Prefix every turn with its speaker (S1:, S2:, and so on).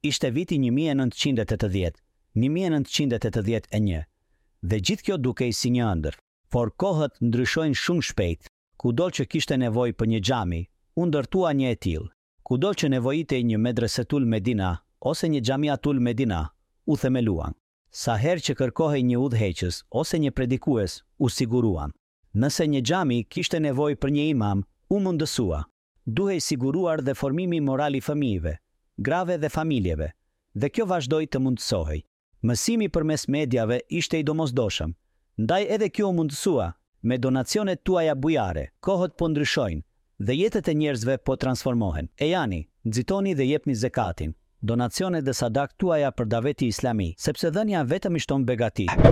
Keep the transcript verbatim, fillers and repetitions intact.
S1: Ishte viti një mijë e nëntëqind e tetëdhjetë, një mijë e nëntëqind e tetëdhjetë e një, dhe gjithë kjo dukej si një ëndërr. Por kohët ndryshojnë shumë shpejt. Kudo që kishte nevojë për një xhami, u ndërtua një e tillë. Kudo që nevojitej një Medresetul Medina ose një Xhamiatul Medina, u themeluan. Sa herë që kërkohej një udhëheqës ose një predikues, u siguruan. Nëse një xhami kishte nevojë për një imam, u mundësua. Duhej siguruar dhe formimi moral i fëmijëve, grave dhe familjeve, dhe kjo vazhdoi të mundësohej. Mësimi përmes mediave ishte i domosdoshëm, ndaj edhe kjo u mundësua me donacionet tuaja bujare. Kohët po ndryshojnë dhe jetët e njerëzve po transformohen. Ejani, nxitoni dhe jepni zekatin, donacionet dhe sadak tuaja për Daveti Islami, sepse dhënia vetëm i shton begatitë.